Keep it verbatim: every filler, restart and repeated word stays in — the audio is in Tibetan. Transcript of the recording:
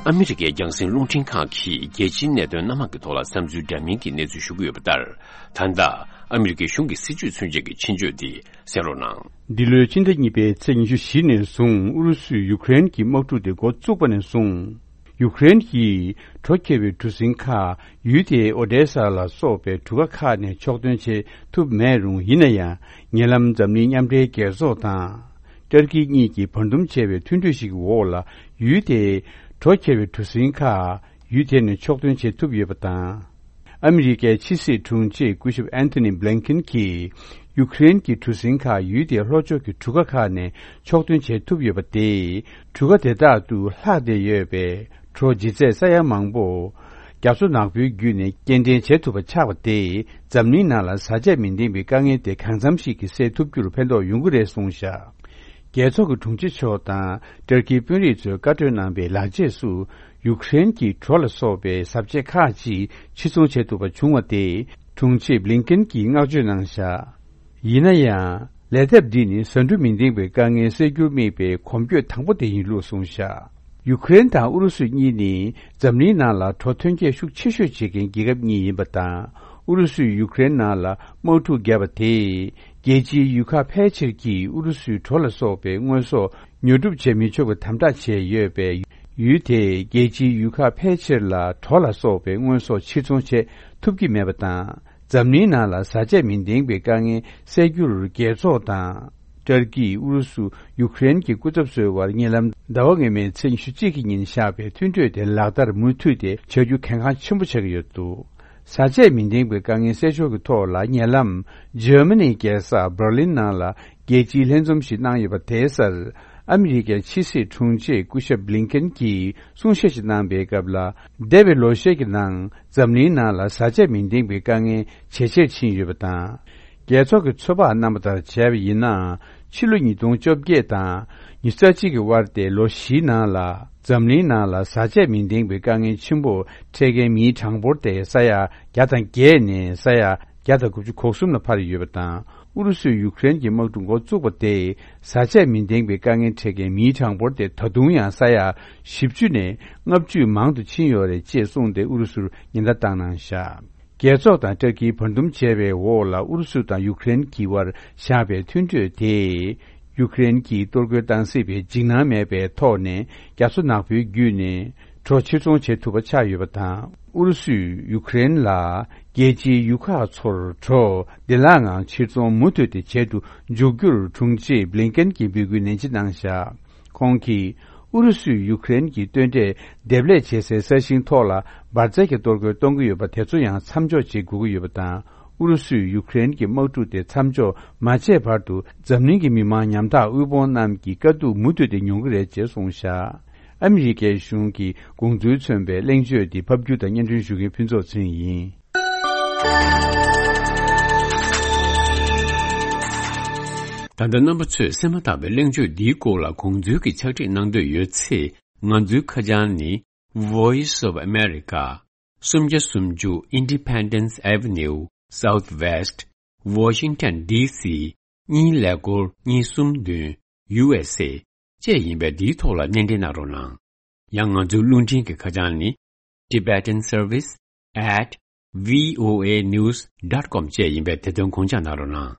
ཨ་མི་རི་ཀའི་རྒྱང་སྲིང་རླུང་འཕྲིན་ཁང་གིས་རྒྱལ་སྤྱིའི་གནད་དོན་སྣ་མང་གི་ཐོག་ལ་བསམ་ཚུལ་འདྲ་མིན་གྱི་གནས་ཚུལ་ཞུ་གི་ཡོད་པ་ལྟར། ད་ལྟ་ཨ་མི་རི་ཀའི་གཞུང་གི་སྲིད་བྱུས་མཚོན་བྱེད་ཀྱི་ཆེད་བརྗོད་དེ་གསན་རོགས་གནང་། འདི་ལོའི་ཕྱི་ཟླ་གཉིས་པའི་ཚེས་ཉི་ཤུ་བཞི་ནས་བཟུང་ཨུ་རུ་སུས་ཡུ་ཀེ་རེན་གྱི་དམག་འཁྲུག་དེ་འགོ་བཙུགས་པ་ནས་བཟུང་། ཡུ་ཀེ་རེན་གྱིས་དྲོ་ཁྱེར་བའི་གྲུ་གཟིངས་ཁག་ཡུལ་དེའི་ཨོ་ཌེ་ས་ལ་སོགས་པའི་གྲུ་ཁ་ཁག་ནས་ཕྱོགས་ཐོན་བྱེད་ཐུབ་མེད་རུང་། ཡིན་ན་ཡང་ཉེ་ལམ་འཛམ་གླིང་མཉམ་འབྲེལ་རྒྱལ་ཚོགས་དང་། ཏུར་ཀི་གཉིས་ཀྱིས་བར་འདུམ་བྱས་པའི་མཐུན་གྲོས་ཤིག་གི་འོག་ལ། ཡུལ་དེའི་དྲོ་ཁྱེར་བའི་གྲུ་གཟིངས་ཁག་ཡུལ་དེ་ནས་ཕྱོགས་ཐོན་བྱེད་ཐུབ་ཡོད་པ་དང་། ཨ་མི་རི་ཀའི་ཕྱི་སྲིད་དྲུང་ཆེ་སྐུ་ཞབས་ཨན་ཐོ་ནི་བྷི་ལིན་ཀེན་གྱིས། ཡུ་ཀེ་རེན་གྱི་གྲུ་གཟིངས་ཁག་ཡུལ་དེའི་ལྷོ་ཕྱོགས་ཀྱི་གྲུ་ཁ་ཁག་ནས་ཕྱོགས་ཐོན་བྱེད་ཐུབ་ཡོད་པ་དེས། གྲུ་ཁ་དེ་དག་ཏུ་ལྷག་བསྡད་ཡོད་པའི་གྲོ་ལྗིད་ཚད་ས་ཡ་མང་པོ། རྒྱ་མཚོ་ནག་པོའི་བརྒྱུད་ནས་སྐྱེལ་འདྲེན་བྱེད་ཐུབ་པ་ཆགས་པ་དེས། འཛམ་གླིང་ནང་ལ་བཟའ་བཅའ་མི་ལྡན་པའི་དཀའ་ངལ་དེ་གང་འཚམ་ཞིག་གིས་སེལ་ཐུབ་རྒྱུར་ཕན་ཐོགས་ཡོང་གི་རེད་གསུངས་བཞག་རྒྱལ་ཚོགས་ཀྱི་དྲུང་ཆེ་མཆོག་དང་ཏུར་ཀིའི་དཔོན་རིགས་ཚོས་བཀའ་གྲོས་གནང་པའི་ལག་རྗེས་སུ། ཡུ་ཀེ་རེན་གྱིས་གྲོ་ལ་སོགས་པའི་བཟའ་བཅའ་ཁག་ཅིག་ཕྱིར་ཚོང་བྱེད་ཐུབ་པ་བྱུང་བ་དེ། དྲུང་ཆེ་བྷི་ལིན་ཀེན་གྱིས་བསྔགས་བརྗོད་གནང་བཞག་ཡིན་ན་ཡང་། ལས་སྟབས་འདི་ནི་བཟའ་འབྲུ་མི་ལྡན་པའི་དཀའ་ངལ་སེལ་རྒྱུར་དམིགས་པའི་གོམ་བགྲོད་དང་པོ་དེ་ཡིན་ལུགས་གསུངས་བཞག་ཡུ་ཀེ་རེན་དང་ཨུ་རུ་སུ་གཉིས་ནི་འཛམ་གླིང་ནང་ལ་གྲོ་ཐོན་སྐྱེད་ཤུགས་ཆེ་ཤོས་བྱེད་མཁན་རྒྱལ་ཁབ་གཉིས་ཡིན་པ་དང་། ཨུ་རུ་སུས་ཡུ་ཀེ་རེན་ནང་ལ་དམག་འཁྲུག་བརྒྱབ་པ་དེས། རྒྱལ་སྤྱིའི་ཡུལ་ཁག་ཕལ་ཆེར་གྱིས་ཨུ་རུ་སུའི་གྲོ་ལ་སོགས་པའི་དངོས་ཟོག་ཉོ་སྒྲུབ་བྱེད་མི་ཆོག་པའི་དམ་དྲག་བྱས་ཡོད་པས། ཡུལ་དེས་རྒྱལ་སྤྱིའི་ཡུལ་ཁག་ཕལ་ཆེར་ལ་གྲོ་ལ་སོགས་པའི་དངོས་ཟོག་ཕྱིར་ཚོང་བྱེད་ཐུབ་ཀྱི་མེད་པ་དང་། འཛམ་གླིང་ནང་ལ་བཟའ་བཅའ་མི་ལྡན་པའི་དཀའ་ངལ་སེལ་རྒྱུར་རྒྱལ་ཚོགས་དང་། ཏུར་ཀི། ཨུ་རུ་སུ། ཡུ་ཀེ་རེན་གྱི་སྐུ་ཚབ་ཚོའི་དབར་ཉེ་ལམ་ཟླ་བ་སྔོན་མའི་ཚེས་ཉི་ཤུ་གཅིག་གི་ཉིན་བཞག་པའི་མཐུན་གྲོས་དེ་ལག་བསྟར་མུ་མཐུད་དེ་བྱ་རྒྱུ་གལ་འགངས་ཆེན་པོ་ཆགས་ཀྱི་ཡོད་འདུག་བཟའ་བཅའ་མི་ལྡན་པའི་དཀའ་ངལ་སེལ་ཕྱོགས་ཀྱི་ཐོག་ལ། ཉེ་ལམ་འཇར་མ་ནིའི་རྒྱལ་ས་འབར་ལིན་ནང་ལ་རྒྱལ་སྤྱིའི་ལྷན་འཛོམས་ཤིག་གནང་ཡོད་པ་དེའི་སར། ཨ་མི་རི་ཀའི་ཕྱི་སྲིད་དྲུང་ཆེ་སྐུ་ཞབས་བྷི་ལིན་ཀེན་གྱིས་གསུང་བཤད་ཞིག་གནང་པའི་སྐབས་ལ། འདས་པའི་ལོ་ཤས་ཀྱི་ནང་འཛམ་གླིང་ནང་ལ་བཟའ་བཅའ་མི་ལྡན་པའི་དཀའ་ངལ་ཇེ་ཆེར་ཕྱིན་ཡོད་པ་དང་། རྒྱལ་ཚོགས་ཀྱི་ཚོད་དཔག་གནང་པ་ལྟར་བྱས་པ་ཡིན་ན། ཕྱི་ལོ་ཉིས་སྟོང་བཅོ་བརྒྱད་དང་ཉི་ཤུ་རྩ་གཅིག་གི་དབར་ཏེ་ལོ་བཞིའི་ནང་ལ། འཛམ་གླིང་ནང་ལ་བཟའ་བཅའ་མི་ལྡན་པའི་དཀའ་ངལ་ཆེན་པོ་འཕྲད་མཁན་མིའི་གྲངས་འབོར་དེ་ས་ཡ་བརྒྱ་དང་བརྒྱད་ནས་ས་ཡ་བརྒྱ་དང་དགུ་བཅུ་གོ་གསུམ་ལ་འཕར་ཡོད་པ་དང་། ཨུ་རུ་སུས་ཡུ་ཀེ་རེན་གྱི་དམག་འཁྲུག་འགོ་བཙུགས་པ་དེས་བཟའ་བཅའ་མི་ལྡན་པའི་དཀའ་ངལ་འཕྲད་མཁན་མིའི་གྲངས་འབོར་དེ་ད་དུང་ཡང་ས་ཡ་བཞི་བཅུ་ནས་ལྔ་བཅུ་མང་དུ་ཕྱིན་ཡོད་རེད་ཅེས་གསུངས་ཏེ་ཨུ་རུ་སུར་ཉེན་བརྡ་བཏང་གནང་བཞག་རྒྱལ་ཚོགས་དང་ཏུར་ཀིས་བར་འདུམ་བྱས་པའི་འོག་ལ་ཨུ་རུ་སུ་དང་ཡུ་ཀེ་རེན་གྱི་དབར་བཞག་པའི་མཐུན་གྲོས་དེས། ཡུ་ཀེ་རེན་གྱིས་གཏོར་རྒོལ་བཏང་སྲིད་པའི་འཇིགས་སྣང་མེད་པའི་ཐོག་ནས་རྒྱ་མཚོ་ནག་པོའི་བརྒྱུད་ནས་གྲོ་ཕྱིར་ཚོང་བྱེད་ཐུབ་པ་ཆགས་ཡོད་པ་དང་། ཨུ་རུ་སུས་ཡུ་ཀེ་རེན་ལ་རྒྱལ་སྤྱིའི་ཡུལ་ཁག་ཚོར་གྲོ་བདེ་བླག་ངང་ཕྱིར་ཚོང་མུ་མཐུད་དེ་བྱེད་དུ་འཇུག་རྒྱུར་དྲུང་ཆེ་བྷི་ལིན་ཀེན་གྱིས་འབོད་སྐུལ་ནན་ཆེ་གནང་བཞག་ཁོང་གིས་ཨུ་རུ་སུས་ཡུ་ཀེ་རེན་གྱི་རྟེན་འབྲེལ་འདེབས་ལས་བྱེད་སའི་ས་ཞིང་ཐོག་ལ་འབར་རྫས་ཀྱི་གཏོར་རྒོལ་གཏོང་གི་ཡོད་པ་དེ་ཚོ་ཡང་མཚམས་འཇོག་བྱེད་དགོས་ཀྱི་ཡོད་པ་དང་། ཨུ་རུ་སུས་ཡུ་ཀེ་རེན་གྱི་དམག་འཁྲུག་དེ་མཚམས་འཇོག་མ་བྱས་བར་དུ་འཛམ་གླིང་གི་མི་མང་ཉམ་ཐག་དབུལ་ཕོངས་རྣམས་ཀྱི་དཀའ་སྡུག་མུ་མཐུད་དེ་མྱོང་གི་རེད་ཅེས་གསུངས་བཞག་ཨ་མི་རི་ཀའི་གཞུང་གི་དགོངས་ཚུལ་མཚོན་པའི་གླེང་བརྗོད་འདི་ཕབ་སྒྱུར་དང་སྙན་སྒྲོན་ཞུ་མཁན་ཕུན་ཚོགས་ཚེ་རིང་ཡིན། ད་ལྟ་རྣམ་པ་ཚོས་གསན་མ་ཐག་པའི་གླེང་བརྗོད་འདིའི་སྐོར་ལ་དགོངས་ཚུལ་གྱི་ཕྱག་བྲིས་གནང་འདོད་ཡོད་ཚེ། ང་ཚོའི་ཁ་བྱང་ནི། Voice of America། སུམ་བརྒྱ་སུམ་ཅུ་Independence Avenue Southwest Washington D C གཉིས་ཀླད་ཀོར་གཉིས་གསུམ་བདུན། U S A བཅས་ཡིན་པས་འདིའི་ཐོག་ལ་སྣེ་འདྲེན་གནང་རོགས་གནང་། ཡང་ང་ཚོའི་རླུང་འཕྲིན་གྱི་ཁ་བྱང་ནི། Tibetan Service at V O A News dot com བཅས་ཡིན་པས་དེ་དོན་དགོངས་འཇགས་གནང་རོགས་གནང་།